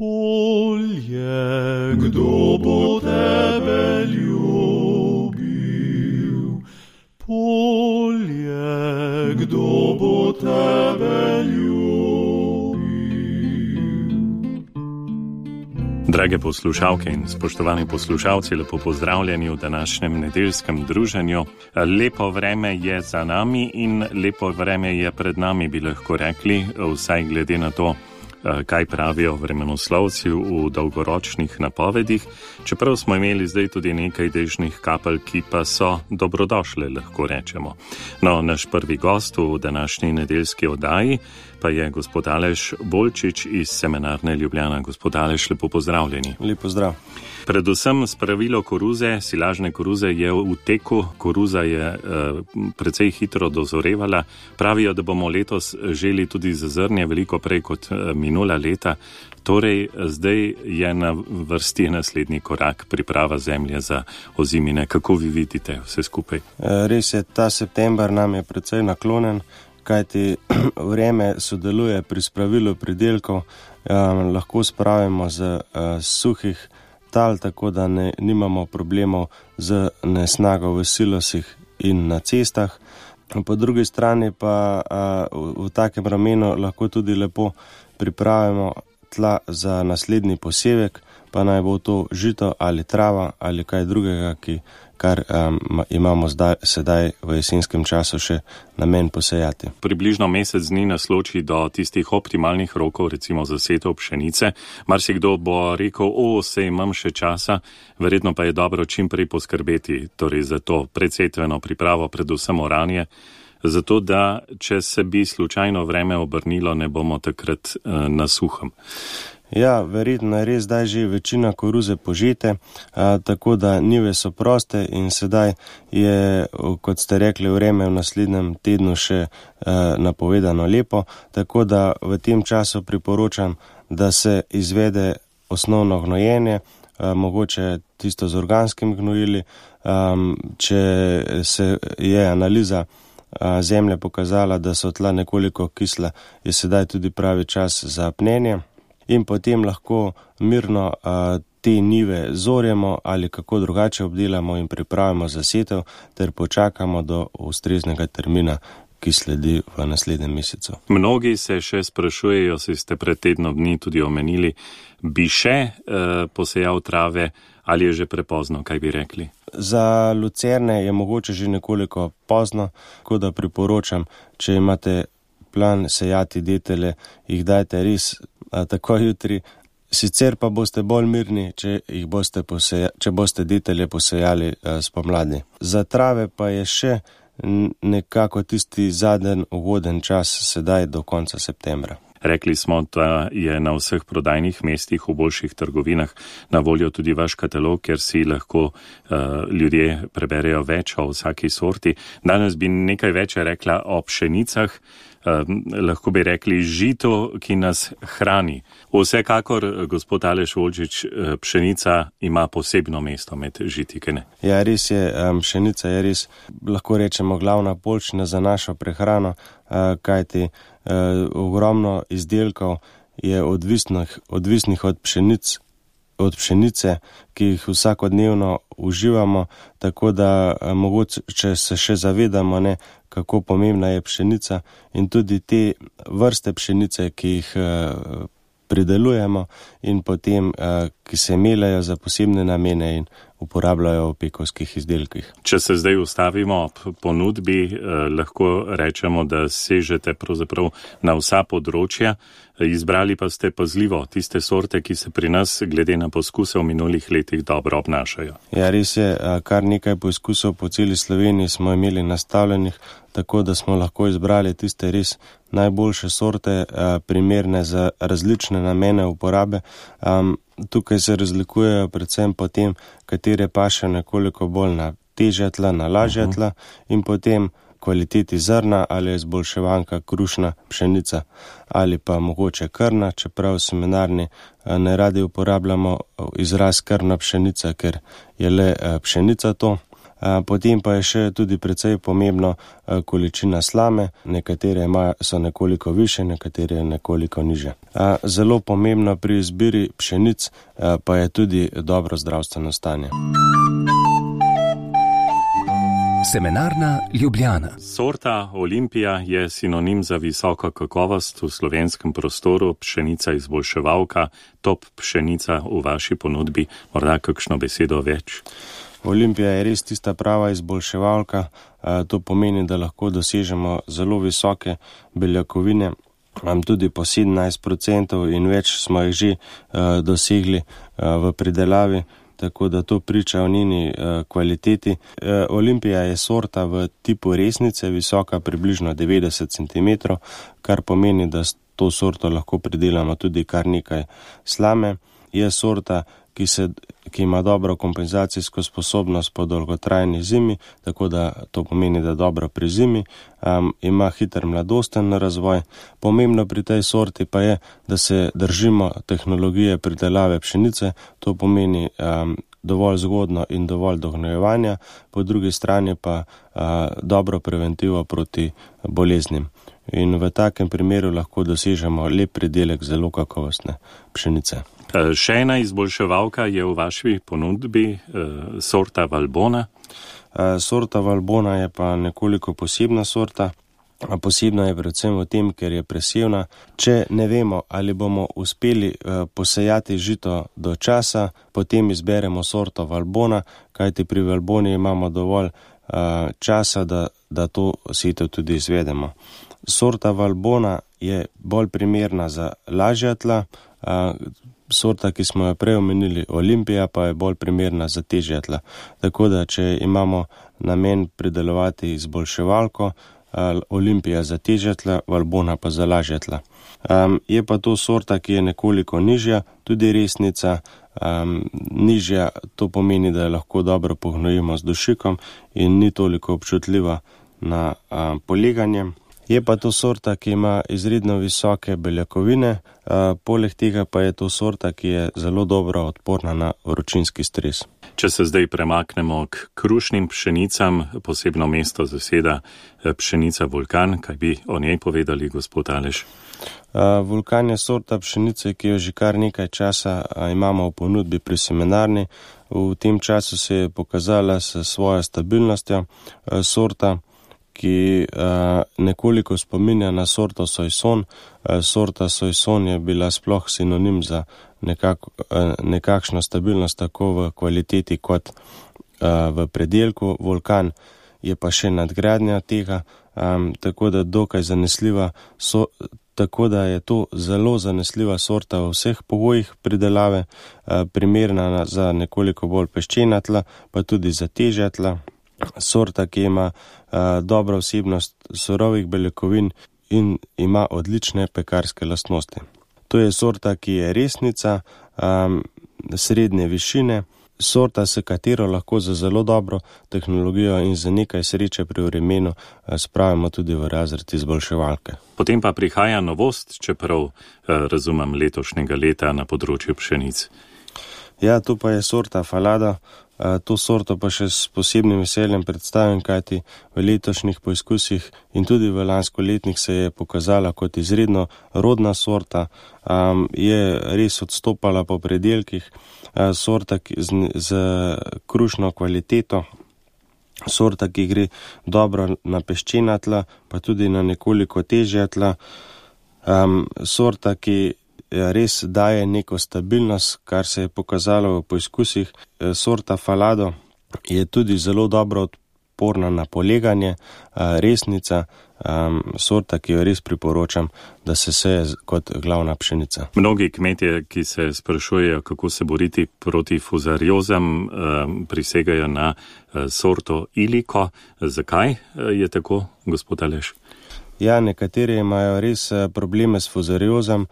Polje, kdo bo tebe ljubil? Polje, kdo bo tebe ljubil? Drage poslušalke in spoštovani poslušalci, lepo pozdravljeni v današnjem nedeljskem druženju. Lepo vreme je za nami in lepo vreme je pred nami, bi lahko rekli, vsaj glede na to, kaj pravijo vremenoslovci v dolgoročnih napovedih, čeprav smo imeli zdaj tudi nekaj dežnih kapelj, ki pa so dobrodošle, lahko rečemo. No, naš prvi gost v današnji nedeljski oddaji pa je gospod Aleš Bolčič iz Semenarne Ljubljana. Gospod Aleš, lepo pozdravljeni. Lep pozdrav. Predvsem spravilo koruze, silažne koruze je v teku, koruza je precej hitro dozorevala. Pravijo, da bomo letos želi tudi za zrnje veliko prej kot minula leta. Torej, zdaj je na vrsti naslednji korak, priprava zemlje za ozimine. Kako vi vidite vse skupaj? Res je, ta september nam je precej naklonjen, kajti vreme sodeluje pri spravilu pridelkov, lahko spravimo z suhih tal, tako da nimamo problemov z nesnago v silosih in na cestah. Po drugi strani pa v takem ramenu lahko tudi lepo pripravimo tla za naslednji posevek, pa naj bo to žito ali trava ali kaj drugega, kar imamo sedaj v jesenskem času še namen posejati. Približno mesec dni nas loči do tistih optimalnih rokov, recimo za setev pšenice. Marsikdo bo rekel, sej imam še časa, verjetno pa je dobro čim prej poskrbeti, torej za to predsetveno pripravo, predvsem oranje, zato da, če se bi slučajno vreme obrnilo, ne bomo takrat na suhem. Ja, verjetno je res zdaj že večina koruze požete, tako da njive so proste in sedaj je, kot ste rekli, vreme v naslednjem tednu še napovedano lepo, tako da v tem času priporočam, da se izvede osnovno gnojenje, mogoče tisto z organskimi gnojili. Če se je analiza zemlje pokazala, da so tla nekoliko kisla, je sedaj tudi pravi čas za pnenje. In potem lahko mirno te njive zorjemo ali kako drugače obdelamo in pripravimo za setev ter počakamo do ustreznega termina, ki sledi v naslednjem mesecu. Mnogi se še sprašujejo, si ste pred tednom dni tudi omenili, bi še posejal trave ali je že prepozno, kaj bi rekli? Za lucerne je mogoče že nekoliko pozno, tako da priporočam, če imate plan sejati detelje, jih dajte res tako jutri, sicer pa boste bolj mirni, če boste detelje posejali spomladi. Za trave pa je še nekako tisti zadnji uvoden čas sedaj do konca septembra. Rekli smo, da je na vseh prodajnih mestih v boljših trgovinah na voljo tudi vaš katalog, kjer si lahko ljudje preberejo več o vsaki sorti. Danes bi nekaj več rekla o pšenicah, lahko bi rekli žito, ki nas hrani. Vsekakor, gospod Aleš Bolčič, pšenica ima posebno mesto med žitikene. Ja, res je, pšenica je res, lahko rečemo, glavna poljščina za našo prehrano, kajti ogromno izdelkov je odvisnih od pšenice, ki jih vsakodnevno uživamo, tako da mogoče se še zavedamo, kako pomembna je pšenica in tudi te vrste pšenice, ki jih pridelujemo in potem, ki se melejo za posebne namene in uporabljajo v pekovskih izdelkih. Če se zdaj ustavimo v ponudbi, lahko rečemo, da sežete pravzaprav na vsa področja, izbrali pa ste pazljivo tiste sorte, ki se pri nas glede na poskuse v minulih letih dobro obnašajo. Ja, res je, kar nekaj poskusov po celi Sloveniji smo imeli nastavljenih, tako da smo lahko izbrali tiste res najboljše sorte, primerne za različne namene uporabe. Tukaj se razlikujejo predvsem po tem, katere paše nekoliko bolj na težja tla, na lažja tla in potem kvaliteti zrna, ali je izboljševanka krušna pšenica ali pa mogoče krna, čeprav v semenarni ne radi uporabljamo izraz krna pšenica, ker je le pšenica to. Potem pa je še tudi precej pomembno količina slame, nekatere so nekoliko više, nekatere nekoliko niže. Zelo pomembno pri izbiri pšenic pa je tudi dobro zdravstveno stanje. Semenarna Ljubljana. Sorta Olimpija je sinonim za visoko kakovost v slovenskem prostoru, pšenica izboljševalka, top pšenica v vaši ponudbi. Morda kakšno besedo več? Olimpija je res tista prava izboljševalka, to pomeni, da lahko dosežemo zelo visoke beljakovine, tudi po 17% in več smo jih že dosegli v pridelavi. Tako da to priča o njeni kvaliteti. Olimpija je sorta v tipu resnice, visoka približno 90 cm, kar pomeni, da s to sorto lahko pridelamo tudi kar nekaj slame. Je sorta, ki ima dobro kompenzacijsko sposobnost po dolgotrajni zimi, tako da to pomeni, da dobro pri zimi, ima hiter mladosten razvoj. Pomembno pri tej sorti pa je, da se držimo tehnologije pridelave pšenice, to pomeni dovolj zgodno in dovolj dognojevanja, po drugi strani pa dobro preventivo proti boleznim. In v takem primeru lahko dosežemo lep pridelek zelo kakovostne pšenice. Še ena izboljševalka je v vaši ponudbi, sorta Valbona. Sorta Valbona je pa nekoliko posebna sorta. Posebna je predvsem v tem, ker je presevna. Če ne vemo, ali bomo uspeli posejati žito do časa, potem izberemo sorto Valbona, kajti pri Valboni imamo dovolj časa, da to setev tudi izvedemo. Sorta Valbona je bolj primerna za lažja tla, sorta, ki smo jo prej omenili, Olimpija, pa je bolj primerna za težja tla. Tako da, če imamo namen pridelovati izboljševalko, Olimpija za težja tla, Valbona pa za lažja tla. Je pa to sorta, ki je nekoliko nižja, tudi resnica. Nižja, to pomeni, da jo lahko dobro pognojimo z dušikom in ni toliko občutljiva na poleganje. Je pa to sorta, ki ima izredno visoke beljakovine, poleg tega pa je to sorta, ki je zelo dobro odporna na vročinski stres. Če se zdaj premaknemo k krušnim pšenicam, posebno mesto zaseda pšenica Vulkan, kaj bi o njej povedali, gospod Aleš? Vulkan je sorta pšenice, ki jo že kar nekaj časa imamo v ponudbi pri semenarni. V tem času se je pokazala s svojo stabilnostjo sorta, ki nekoliko spominja na sorto Soissons. Sorta Soissons je bila sploh sinonim za nekakšno stabilnost tako v kvaliteti kot v predelku. Vulkan je pa še nadgradnja tega, tako da dokaj zanesljiva, tako da je to zelo zanesljiva sorta v vseh pogojih pridelave, primerna za nekoliko bolj peščena tla, pa tudi za težja tla. Sorta, ki ima dobro vsebnost surovih beljakovin in ima odlične pekarske lastnosti. To je sorta, ki je resnica, srednje višine, sorta, s katero lahko za zelo dobro tehnologijo in za nekaj sreče pri vremenu spravimo tudi v razred izboljševalke. Potem pa prihaja novost, čeprav razumem letošnjega leta na področju pšenic. Ja, to pa je sorta Falada. To sorto pa še s posebnim veseljem predstavim, kajti v letošnjih poizkusih in tudi v lanskoletnih se je pokazala kot izredno rodna sorta, je res odstopala po predelkih, sorta z krušno kvaliteto, sorta, ki gre dobro na peščena tla, pa tudi na nekoliko težja tla, sorta, ki res daje neko stabilnost, kar se je pokazalo v poizkusih. Sorta Falado je tudi zelo dobro odporna na poleganje, resnica, sorta, ki jo res priporočam, da se seje kot glavna pšenica. Mnogi kmetje, ki se sprašujejo, kako se boriti proti fuzariozam, prisegajo na sorto Iliko. Zakaj je tako, gospod Aleš? Ja, nekateri imajo res probleme s fuzariozom,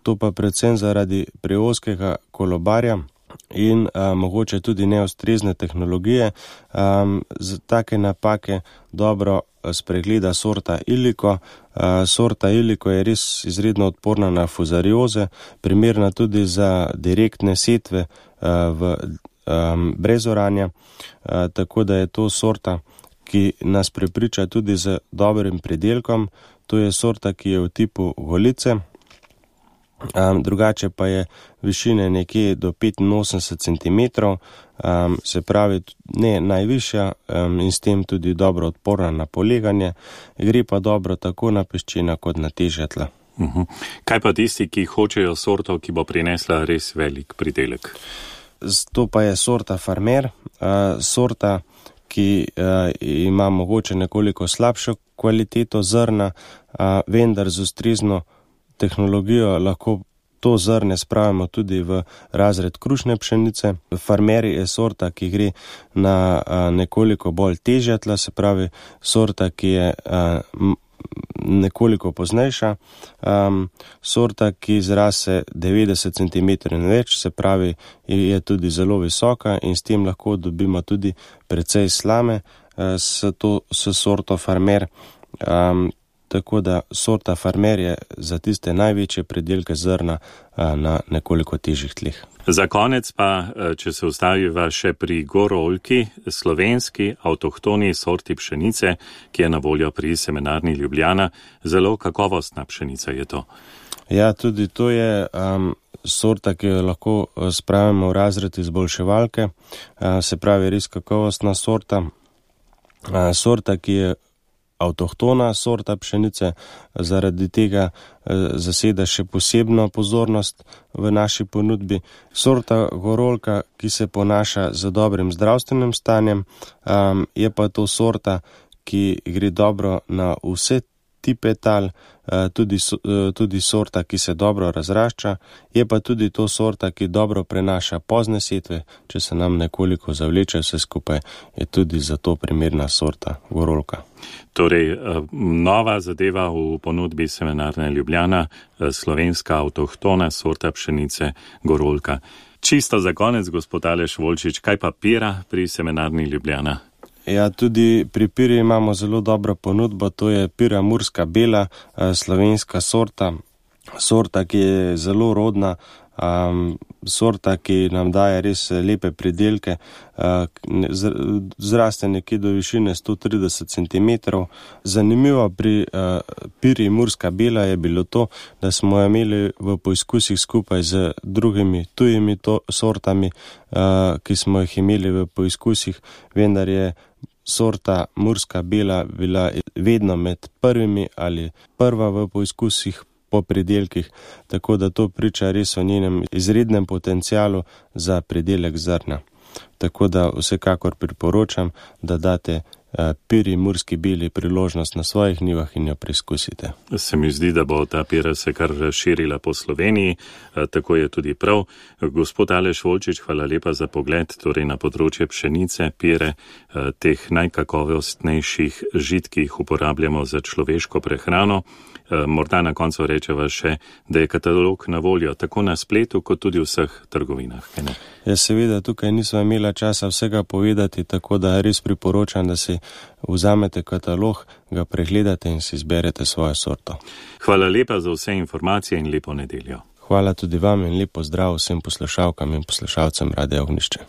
to pa predvsem zaradi preozkega kolobarja in mogoče tudi neustrezne tehnologije. Za take napake dobro spregleda sorta Iliko. Sorta Iliko je res izredno odporna na fuzarioze, primerna tudi za direktne setve v brez oranja, tako da je to sorta, ki nas prepriča tudi z dobrim pridelkom. To je sorta, ki je v tipu golice, drugače pa je višine nekje do 85 cm, se pravi ne najvišja in s tem tudi dobro odporna na poleganje, gre pa dobro tako na peščena kot na težja tla. Kaj pa tisti, ki hočejo sorto, ki bo prinesla res velik pridelek? To pa je sorta Farmer, sorta, ki ima mogoče nekoliko slabšo kvaliteto zrna, vendar z ustrezno tehnologijo lahko to zrne spravimo tudi v razred krušne pšenice. Farmer je sorta, ki gre na nekoliko bolj težja tla, se pravi sorta, ki je nekoliko poznejša, sorta, ki zrase 90 cm in več, se pravi je tudi zelo visoka in s tem lahko dobimo tudi precej slame s sorto Farmer. Tako da sorta Farmer je za tiste največje pridelke zrna na nekoliko težjih tleh. Za konec pa, če se ustaviva še pri Gorolki, slovenski avtohtoni sorti pšenice, ki je na voljo pri Semenarni Ljubljana. Zelo kakovostna pšenica je to. Ja, tudi to je sorta, ki jo lahko spravimo v razred izboljševalke, se pravi res kakovostna sorta. Sorta, ki je avtohtona sorta pšenice, zaradi tega zaseda še posebno pozornost v naši ponudbi. Sorta Gorolka, ki se ponaša z dobrim zdravstvenim stanjem, je pa to sorta, ki gre dobro na vse tipe tal, tudi sorta, ki se dobro razrašča, je pa tudi to sorta, ki dobro prenaša pozne setve. Če se nam nekoliko zavleče vse skupaj, je tudi za to primerna sorta Gorolka. Torej, nova zadeva v ponudbi Semenarne Ljubljana, slovenska avtohtona sorta pšenice Gorolka. Čisto za konec, gospod Aleš Volčič, kaj pa pira pri Semenarni Ljubljana? Ja, tudi pri piri imamo zelo dobro ponudbo, to je pira Murska bela, slovenska sorta, ki je zelo rodna, sorta, ki nam daje res lepe pridelke, zraste nekje do višine 130 cm. Zanimivo pri piri Murska bela je bilo to, da smo imeli v poizkusih skupaj z drugimi tujimi sortami, ki smo jih imeli v poizkusih, vendar je sorta Murska bela bila vedno med prvimi ali prva v poizkusih po pridelkih, tako da to priča res o njenem izrednem potencialu za pridelek zrna. Tako da vsekakor priporočam, da date piri Murski beli priložnost na svojih njivah in jo preizkusite. Se mi zdi, da bo ta pira se kar širila po Sloveniji, tako je tudi prav. Gospod Aleš Volčič, hvala lepa za pogled torej na področje pšenice, pire, teh najkakovostnejših žit, ki jih uporabljamo za človeško prehrano. Morda na koncu rečeva še, da je katalog na voljo tako na spletu, kot tudi v vseh trgovinah. Ja, seveda, tukaj nismo imela časa vsega povedati, tako da res priporočam, da si vzamete katalog, ga pregledate in si izberete svojo sorto. Hvala lepa za vse informacije in lepo nedeljo. Hvala tudi vam in lepo zdrav vsem poslušalkam in poslušalcem Radia Ognjišče.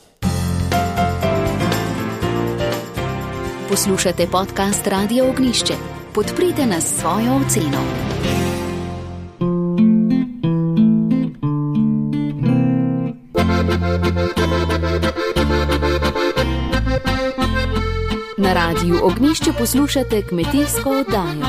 Poslušate podcast Radia Ognjišče. Podprite nas s svojo oceno. Na Radiu Ognjišče poslušate kmetijsko oddajo.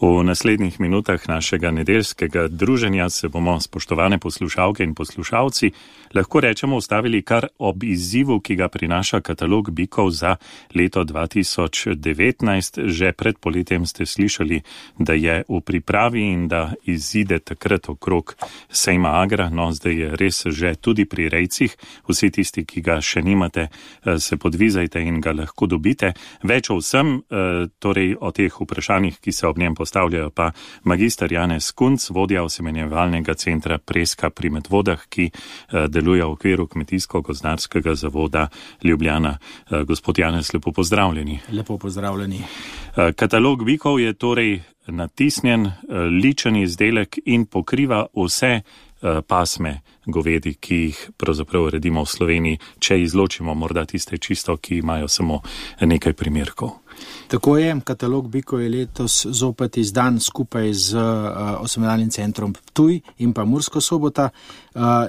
V naslednjih minutah našega nedeljskega druženja se bomo, spoštovane poslušalke in poslušalci, lahko rečemo ustavili kar ob izzivu, ki ga prinaša katalog bikov za leto 2019. Že pred poletjem ste slišali, da je v pripravi in da izide takrat okrog sejma Agra. No, zdaj je res že tudi pri rejcih. Vsi tisti, ki ga še nimate, se podvizajte in ga lahko dobite. Več o vsem, torej o teh vprašanjih, ki se ob njem postavljajo, predstavljajo pa magister Janez Kunc, vodja osemenjevalnega centra Preska pri Medvodah, ki deluje v okviru Kmetijsko-gozdarskega zavoda Ljubljana. Gospod Janez, lepo pozdravljeni. Lepo pozdravljeni. Katalog bikov je torej natisnjen, ličen izdelek in pokriva vse pasme govedi, ki jih pravzaprav redimo v Sloveniji, če izločimo morda tiste čisto, ki imajo samo nekaj primerkov. Tako je, katalog bikov je letos zopet izdan skupaj z osemenjevalnim centrom Ptuj in pa Murska Sobota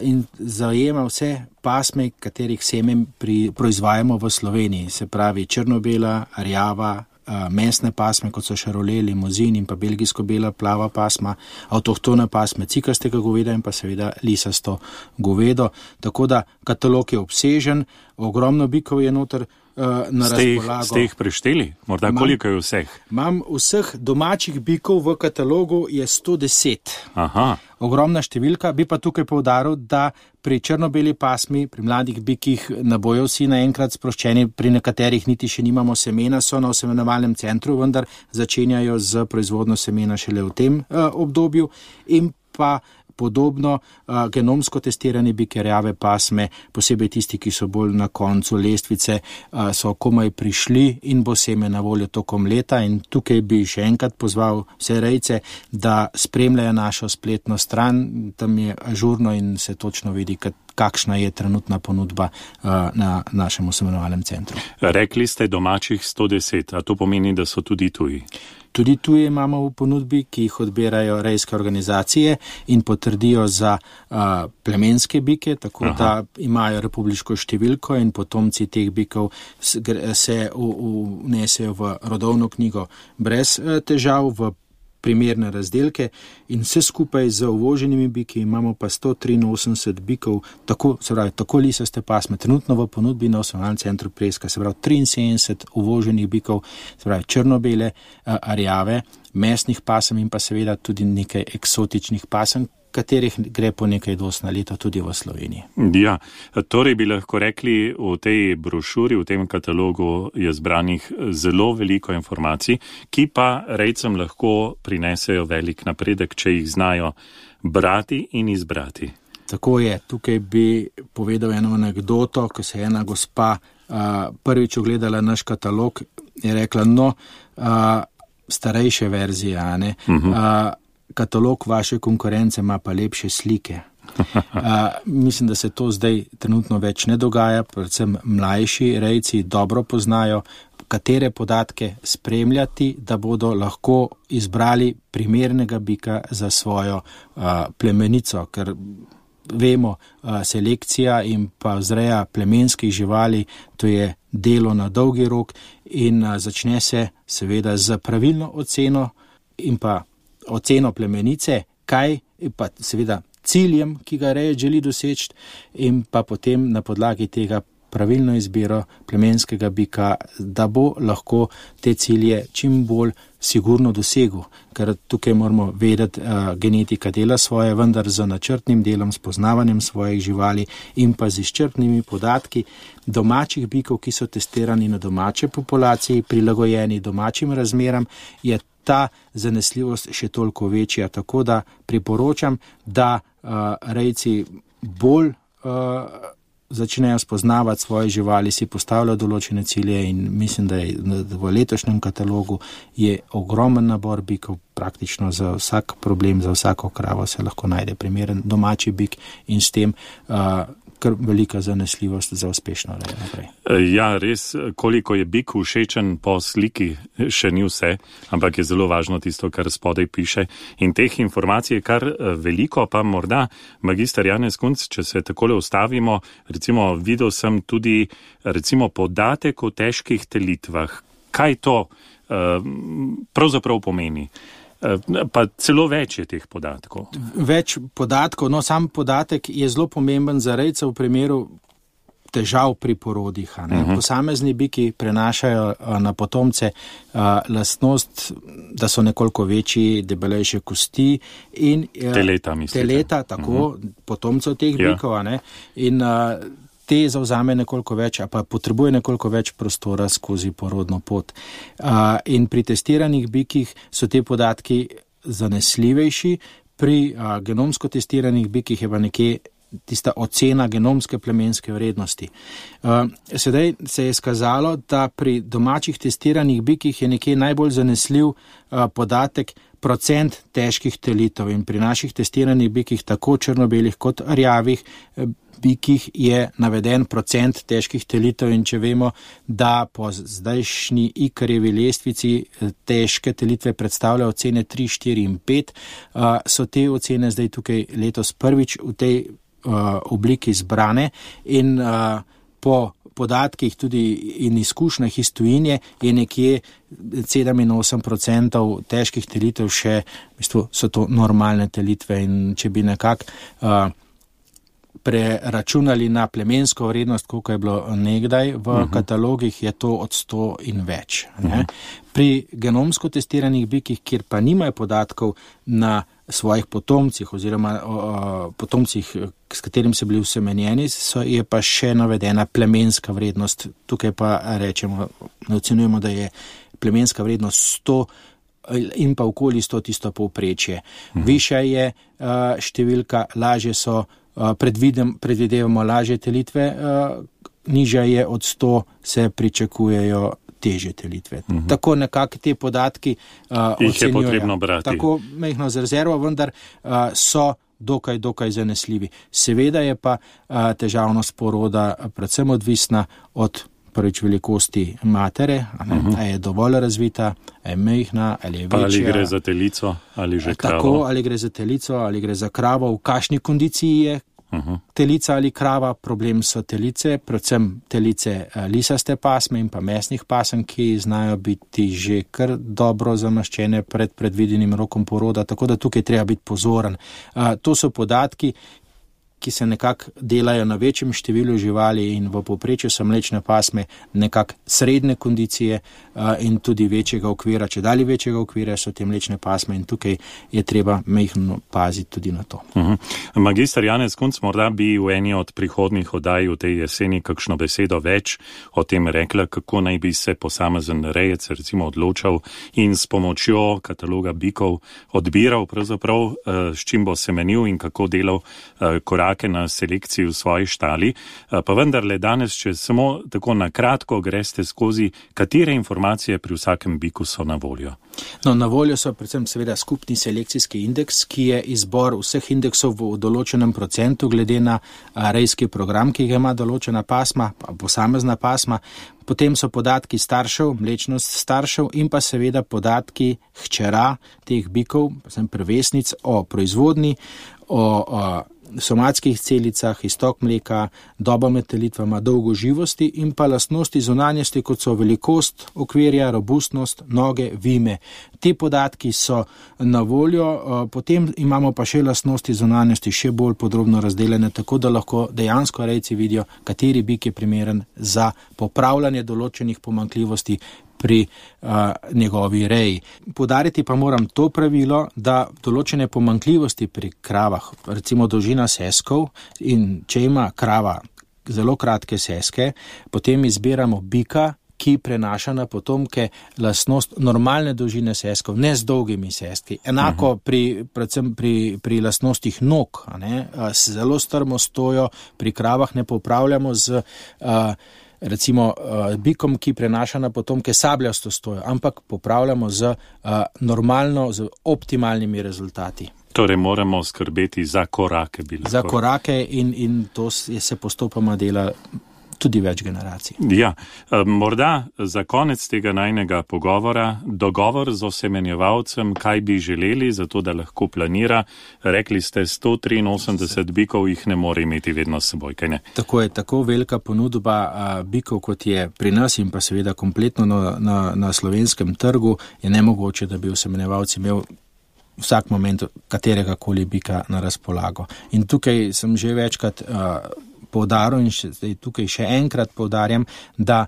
in zajema vse pasme, katerih semen proizvajamo v Sloveniji, se pravi črno-bela, rjava, mesne pasme, kot so šarole, limuzin in pa belgijsko-bela plava pasma, avtohtone pasme cikastega goveda in pa seveda lisasto govedo. Tako da katalog je obsežen, ogromno bikov je noter na razpolago. Ste jih prešteli? Morda koliko je vseh? Imam vseh domačih bikov v katalogu je 110. Aha. Ogromna številka, bi pa tukaj poudaril, da pri črno-beli pasmi, pri mladih bikih ne bojo vsi naenkrat sproščeni, pri nekaterih niti še nimamo semena, so na osemenjevalnem centru, vendar začenjajo z proizvodnjo semena šele v tem obdobju in pa podobno genomsko testirani biki rjave pasme, posebej tisti, ki so bolj na koncu lestvice, so komaj prišli in bo seme na voljo tokom leta in tukaj bi še enkrat pozval vse rejce, da spremljajo našo spletno stran, tam je ažurno in se točno vidi, kakšna je trenutna ponudba na našem osemenjevalnem centru. Rekli ste domačih 110, a to pomeni, da so tudi tuji? Tudi tuje imamo v ponudbi, ki jih odbirajo rejske organizacije in potrdijo za plemenske bike, tako da imajo republiško številko in potomci teh bikov se vnesejo v rodovno knjigo brez težav, v primerne razdelke in vse skupaj z uvoženimi biki imamo pa 183 bikov, tako lisaste pasme, trenutno v ponudbi na osemenjevalnem centru Preska, se pravi 73 uvoženih bikov, se pravi črno-bele, rjave, mesnih pasem in pa seveda tudi nekaj eksotičnih pasem, katerih gre po nekaj dosti na leto tudi v Sloveniji. Ja, torej bi lahko rekli, v tej brošuri, v tem katalogu je zbranih zelo veliko informacij, ki pa rejcem lahko prinesejo velik napredek, če jih znajo brati in izbrati. Tako je, tukaj bi povedal eno anekdoto, ko se je ena gospa prvič ogledala naš katalog, je rekla, starejše verzije, ne? Katalog vaše konkurence ima pa lepše slike. Mislim, da se to zdaj trenutno več ne dogaja, predvsem mlajši rejci dobro poznajo, katere podatke spremljati, da bodo lahko izbrali primernega bika za svojo plemenico, ker vemo, selekcija in pa vzreja plemenskih živali, to je delo na dolgi rok in začne se seveda z pravilno oceno in pa oceno plemenice, kaj pa seveda ciljem, ki ga reje želi doseči in pa potem na podlagi tega pravilno izbiro plemenskega bika, da bo lahko te cilje čim bolj sigurno dosegel, ker tukaj moramo vedeti, genetika dela svoje, vendar z načrtnim delom, spoznavanjem svojih živali in pa z izčrpnimi podatki domačih bikov, ki so testirani na domače populaciji, prilagojeni domačim razmeram, je ta zanesljivost še toliko večja, tako da priporočam, da rejci bolj začnejo spoznavati svoje živali, si postavljajo določene cilje in mislim, da je v letošnjem katalogu je ogromen nabor bikov, praktično za vsak problem, za vsako kravo se lahko najde primeren domači bik in s tem kar velika zanesljivost za uspešno rejo naprej. Ja, res, koliko je bik všečen po sliki, še ni vse, ampak je zelo važno tisto, kar spodaj piše. In teh informacij je kar veliko, pa morda, magister Janez Kunc, če se takole ustavimo, recimo videl sem tudi podatek o težkih telitvah. Kaj to pravzaprav pomeni? Pa celo več je teh podatkov. Več podatkov, sam podatek je zelo pomemben za rejce v primeru težav pri porodih. Posamezni biki prenašajo na potomce lastnost, da so nekoliko večji, debelejše kosti in teleta, tako, potomcev teh bikov. In te zauzame nekoliko več, pa potrebuje nekoliko več prostora skozi porodno pot. In pri testiranih bikih so te podatki zanesljivejši, pri genomsko testiranih bikih je pa nekje tista ocena genomske plemenske vrednosti. Sedaj se je skazalo, da pri domačih testiranih bikih je nekje najbolj zanesljiv podatek procent težkih telitev in pri naših testiranih bikih, tako črno-belih kot rjavih bikih, je naveden procent težkih telitev in če vemo, da po zdajšnji Ikarjevi lestvici težke telitve predstavljajo ocene 3, 4 in 5, so te ocene zdaj tukaj letos prvič v tej obliki zbrane in po podatkih tudi in izkušnjah iz tujine je nekje 7-8% težkih telitev še, v bistvu so to normalne telitve in če bi nekako preračunali na plemensko vrednost, koliko je bilo nekdaj v katalogih, je to od 100 in več. Pri genomsko testiranih bikih, kjer pa nimajo podatkov na svojih potomcih oziroma potomcih, s katerim so bili usemenjeni, je pa še navedena plemenska vrednost. Tukaj pa rečemo, ocenjujemo, da je plemenska vrednost 100 in pa okoli 100 tisto povprečje. Višja je številka, lažje so, predvidevamo lažje telitve, nižja je od 100, se pričakujejo težje telitve. Tako nekako te podatki ocenjujejo. Je potrebno brati. Tako majhno z rezervo, vendar so dokaj zanesljivi. Seveda je pa težavnost poroda predvsem odvisna od prvič velikosti matere, a je dovolj razvita, a je majhna, ali je večja. Ali gre za telico, ali že kravo. Tako, ali gre za telico, ali gre za kravo, v kakšni kondiciji je telica ali krava. Problem so telice, predvsem telice lisaste pasme in pa mesnih pasem, ki znajo biti že kar dobro zamaščene pred predvidenim rokom poroda, tako da tukaj treba biti pozoren. To so podatki, ki se nekako delajo na večjem številu živali in v povprečju so mlečne pasme nekako srednje kondicije in tudi večjega okvira. Če dalje večjega okvira so te mlečne pasme in tukaj je treba majhno paziti tudi na to. Magister Janez Kunc, morda bi v eni od prihodnjih oddaj v tej jeseni kakšno besedo več o tem rekla, kako naj bi se posamezen rejec recimo odločal in s pomočjo kataloga bikov odbiral pravzaprav, s čim bo semenil in kako delal korak na selekciji v svoji štali, pa vendarle danes, če samo tako na kratko greste skozi, katere informacije pri vsakem biku so na voljo? No, na voljo so predvsem seveda skupni selekcijski indeks, ki je izbor vseh indeksov v določenem procentu glede na rejski program, ki ga ima določena pasma, posamezna pasma. Potem so podatki staršev, mlečnost staršev in pa seveda podatki hčera teh bikov, predvsem prvesnic, o proizvodni, o somatskih celicah, iztok mleka, doba med telitvama, dolgoživosti in pa lastnosti zunanjosti, kot so velikost okvirja, robustnost, noge, vime. Te podatki so na voljo, potem imamo pa še lastnosti zunanjosti še bolj podrobno razdeljene, tako da lahko dejansko rejci vidijo, kateri bik je primeren za popravljanje določenih pomanjkljivosti pri njegovi reji. Poudariti pa moram to pravilo, da določene pomanjkljivosti pri kravah, recimo dolžina seskov, in če ima krava zelo kratke seske, potem izbiramo bika, ki prenaša na potomke lastnost normalne dolžine seskov, ne z dolgimi seski. Enako predvsem pri lastnostih nog, zelo strmo stojo, pri kravah ne popravljamo z recimo bikom, ki prenaša na potomke sabljasto stojo, ampak popravljamo z normalno, z optimalnimi rezultati. Torej moramo skrbeti za korake. Za korake in to se postopoma dela tudi več generacij. Ja, morda za konec tega najnega pogovora, dogovor z osemenjevalcem, kaj bi želeli, zato da lahko planira. Rekli ste, 183 bikov jih ne more imeti vedno s seboj, kaj ne? Tako je, tako velika ponudba bikov, kot je pri nas in pa seveda kompletno na slovenskem trgu, je nemogoče, da bi osemenjevalci imel vsak moment katerega koli bika na razpolago. In tukaj sem že večkrat poudaril in zdaj tukaj še enkrat poudarjam, da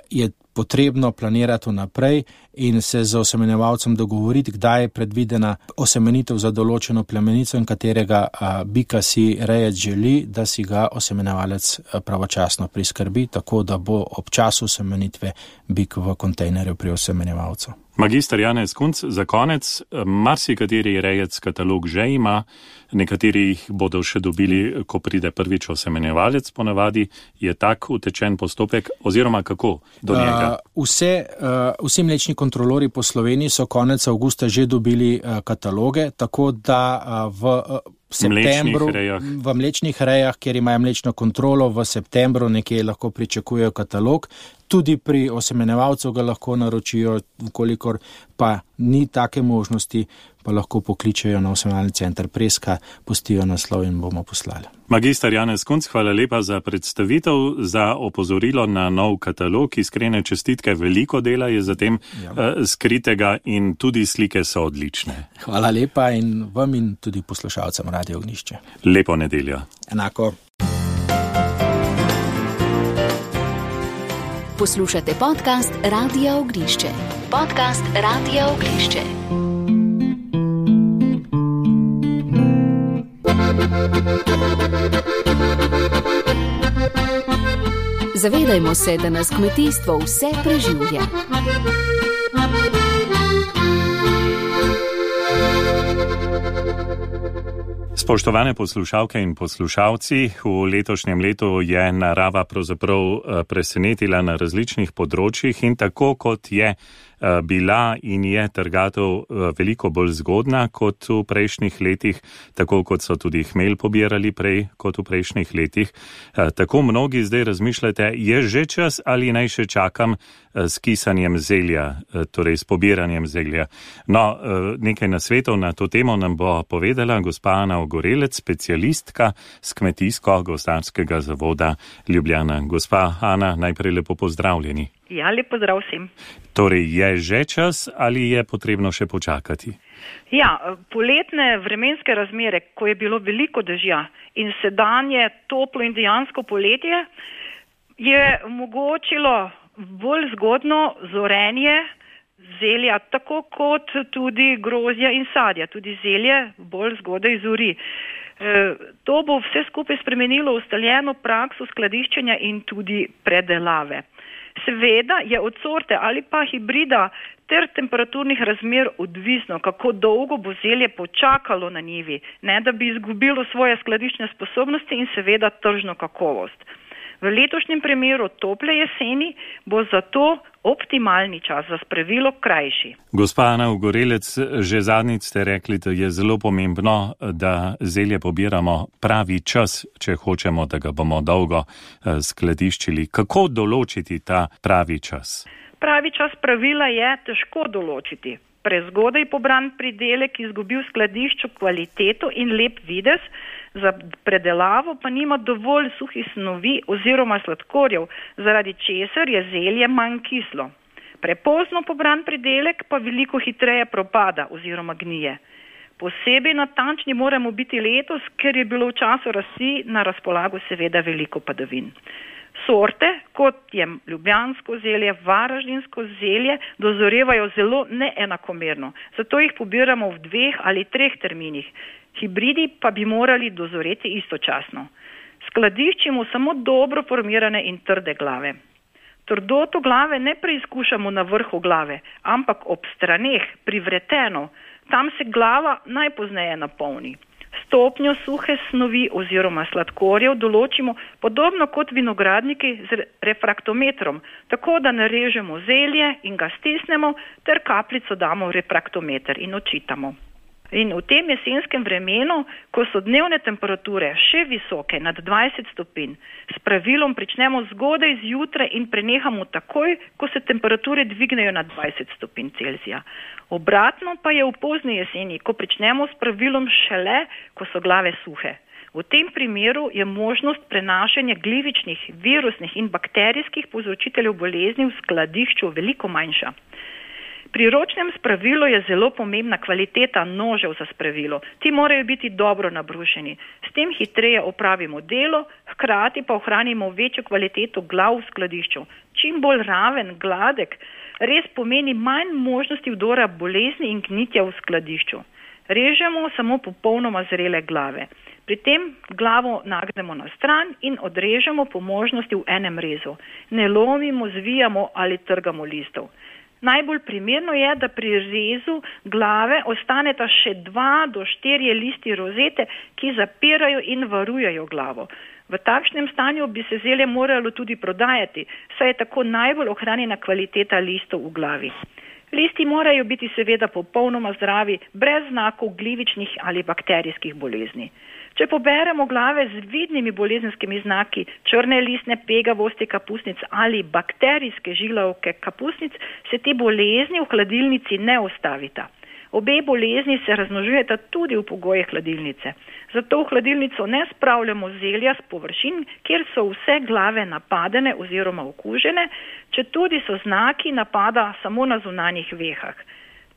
je potrebno planirati vnaprej in se z osemenjevalcem dogovoriti, kdaj je predvidena osemenitev za določeno plemenico in katerega bika si rejec želi, da si ga osemenjevalec pravočasno priskrbi, tako da bo ob času osemenitve bik v kontejnerju pri osemenjevalcu. Magister Janez Kunc, za konec, marsikateri rejec katalog že ima, nekateri jih bodo še dobili, ko pride prvič osemenjevalec, ponavadi je tak utečen postopek, oziroma kako do njega? Vsi mlečni kontrolori po Sloveniji so konec avgusta že dobili kataloge, tako da v septembru, v mlečnih rejah, kjer imajo mlečno kontrolo, v septembru nekje lahko pričakujejo katalog. Tudi pri osemenjevalcu ga lahko naročijo, kolikor pa ni take možnosti, pa lahko pokličejo na osemenjevalni center Preska, pustijo naslov in bomo poslali. Magister Janez Kunc, hvala lepa za predstavitev, za opozorilo na nov katalog. Iskrene čestitke, veliko dela je za tem skritega in tudi slike so odlične. Hvala lepa in vam in tudi poslušalcem Radio Ognjišče. Lepo nedeljo. Enako. Poslušate podcast Radia Ognjišče. Podcast Radia Ognjišče. Zavedajmo se, da nas kmetijstvo vse preživlja. Spoštovane poslušalke in poslušalci, v letošnjem letu je narava pravzaprav presenetila na različnih področjih in tako kot je bila in je trgatev veliko bolj zgodna kot v prejšnjih letih, tako kot so tudi hmelj pobirali prej kot v prejšnjih letih. Tako mnogi zdaj razmišljate, je že čas ali naj še čakam s kisanjem zelja, torej s pobiranjem zelja. No, nekaj nasvetov na to temo nam bo povedala gospa Ana Ogorelec, specialistka z Kmetijsko-gozdarskega zavoda Ljubljana. Gospa Ana, najprej lepo pozdravljeni. Ja, lep pozdrav vsem. Torej, je že čas ali je potrebno še počakati? Ja, poletne vremenske razmere, ko je bilo veliko dežja in sedanje toplo in dejansko poletje, je omogočilo bolj zgodno zorenje zelja, tako kot tudi grozdja in sadja. Tudi zelje bolj zgodaj zori. To bo vse skupaj spremenilo ustaljeno prakso skladiščenja in tudi predelave. Seveda je od sorte ali pa hibrida ter temperaturnih razmer odvisno, kako dolgo bo zelje počakalo na njivi, ne da bi izgubilo svoje skladiščne sposobnosti in seveda tržno kakovost. V letošnjem primeru tople jeseni bo zato optimalni čas za spravilo krajši. Gospa Ana Ogorelec, že zadnjič ste rekli, da je zelo pomembno, da zelje pobiramo pravi čas, če hočemo, da ga bomo dolgo skladiščili. Kako določiti ta pravi čas? Pravi čas pravila je težko določiti. Prezgodaj pobran pridelek izgubil skladišču kvaliteto in lep videz, za predelavo pa nima dovolj suhih snovi oziroma sladkorjev, zaradi česar je zelje manj kislo. Prepozno pobran pridelek pa veliko hitreje propada oziroma gnije. Posebej natančni moramo biti letos, ker je bilo v času rasti na razpolago seveda veliko padavin. Sorte, kot je ljubljansko zelje, varaždinsko zelje, dozorevajo zelo neenakomerno, zato jih pobiramo v 2 ali 3 terminih. Hibridi pa bi morali dozoreti istočasno. Skladiščimo samo dobro formirane in trde glave. Trdoto glave ne preizkušamo na vrhu glave, ampak ob straneh, privreteno. Tam se glava najpozneje napolni. Stopnjo suhe snovi oziroma sladkorjev določimo podobno kot vinogradniki z refraktometrom, tako da narežemo zelje in ga stisnemo ter kapljico damo v refraktometer in odčitamo. In v tem jesenskem vremenu, ko so dnevne temperature še visoke, nad 20 stopinj, s pravilom pričnemo zgodaj zjutraj in prenehamo takoj, ko se temperature dvignejo nad 20 stopinj Celzija. Obratno pa je v pozni jeseni, ko pričnemo s pravilom šele, ko so glave suhe. V tem primeru je možnost prenašanja glivičnih, virusnih in bakterijskih povzročiteljev bolezni v skladišču veliko manjša. Pri ročnem spravilu je zelo pomembna kvaliteta nožev za spravilo. Ti morajo biti dobro nabrušeni. S tem hitreje opravimo delo, hkrati pa ohranimo večjo kvaliteto glav v skladišču. Čim bolj raven, gladek res pomeni manj možnosti vdora bolezni in gnitja v skladišču. Režemo samo popolnoma zrele glave. Pri tem glavo nagnemo na stran in odrežemo po možnosti v enem rezu. Ne lomimo, zvijamo ali trgamo listov. Najbolj primerno je, da pri rezu glave ostaneta še 2 do 4 listi rozete, ki zapirajo in varujejo glavo. V takšnem stanju bi se zelje moralo tudi prodajati, saj je tako najbolj ohranjena kvaliteta listov v glavi. Listi morajo biti seveda popolnoma zdravi, brez znakov glivičnih ali bakterijskih bolezni. Če poberemo glave z vidnimi bolezenskimi znaki, črne listne pegavosti kapusnic ali bakterijske žilavke kapusnic, se te bolezni v hladilnici ne ustavita. Obe bolezni se razmnožujeta tudi v pogojih hladilnice. Zato v hladilnico ne spravljamo zelja s površin, kjer so vse glave napadene oziroma okužene, četudi so znaki napada samo na zunanjih vehah.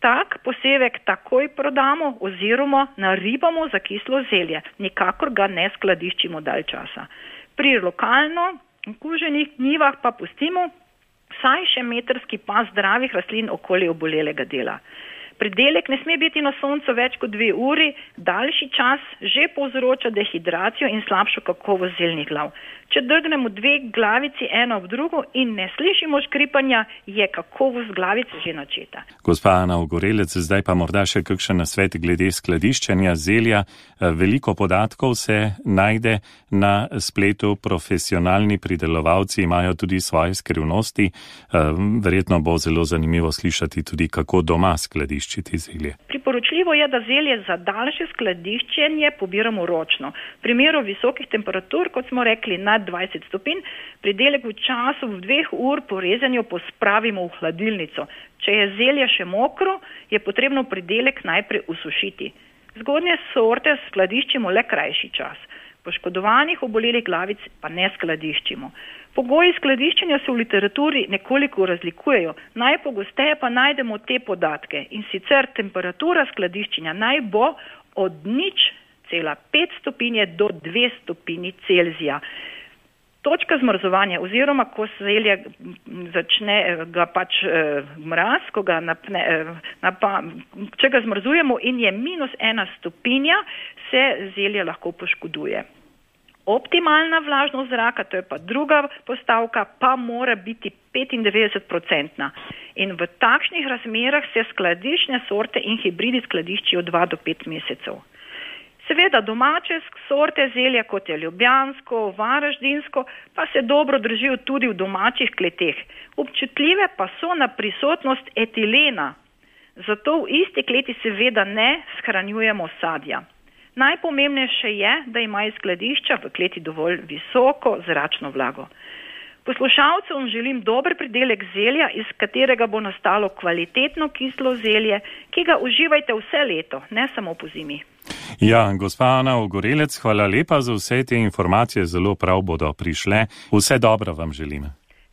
Tak posevek takoj prodamo oziroma naribamo za kislo zelje, nikakor ga ne skladiščimo dalj časa. Pri lokalno okuženih njivah pa pustimo vsaj še metrski pas zdravih rastlin okoli obolelega dela. Pridelek ne sme biti na soncu več kot 2 uri, daljši čas že povzroča dehidracijo in slabšo kakovost zeljnih glav. Če drgnemo 2 glavici eno ob drugo in ne slišimo škripanja, je kakovost glavice že načeta. Gospa Ana Ogorelec, zdaj pa morda še kakšen nasvet glede skladiščenja zelja. Veliko podatkov se najde na spletu, profesionalni pridelovalci imajo tudi svoje skrivnosti. Verjetno bo zelo zanimivo slišati tudi, kako doma skladiščiti zelje. Priporočljivo je, da zelje za daljše skladiščenje pobiramo ročno. V primeru visokih temperatur, kot smo rekli, nad 20 stopinj, pridelek v času 2 ur po rezanju pospravimo v hladilnico. Če je zelje še mokro, je potrebno pridelek najprej usušiti. Zgodnje sorte skladiščimo le krajši čas. Poškodovanih obolelih glavic pa ne skladiščimo. Pogoji skladiščenja se v literaturi nekoliko razlikujejo. Najpogosteje pa najdemo te podatke in sicer temperatura skladiščenja naj bo od 0,5 stopinje do 2 stopinji Celzija. Točka zmrzovanja oziroma ko zelje začne ga mraz, ko ga če ga zmrzujemo in je -1 stopinja, se zelje lahko poškoduje. Optimalna vlažnost zraka, to je pa druga postavka, pa mora biti 95%. In v takšnih razmerah se skladiščne sorte in hibridi skladiščijo 2 do 5 mesecev. Seveda domače sorte zelja, kot je ljubljansko, varaždinsko, pa se dobro držijo tudi v domačih kleteh. Občutljive pa so na prisotnost etilena, zato v isti kleti seveda ne shranjujemo sadja. Najpomembnejše je, da ima iz skladišča v kleti dovolj visoko zračno vlago. Poslušalcem želim dober pridelek zelja, iz katerega bo nastalo kvalitetno kislo zelje, ki ga uživajte vse leto, ne samo po zimi. Ja, gospa Ana Ogorelec, hvala lepa za vse te informacije, zelo prav bodo prišle. Vse dobro vam želim.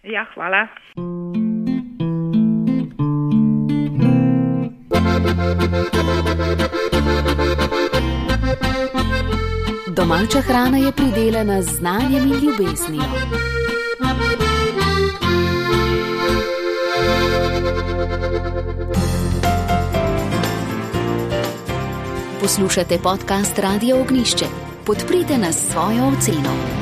Ja, hvala. Domača hrana je pridelana z znanjem in ljubeznijo. Poslušate podcast Radio Ognjišče. Podprite nas s svojo oceno.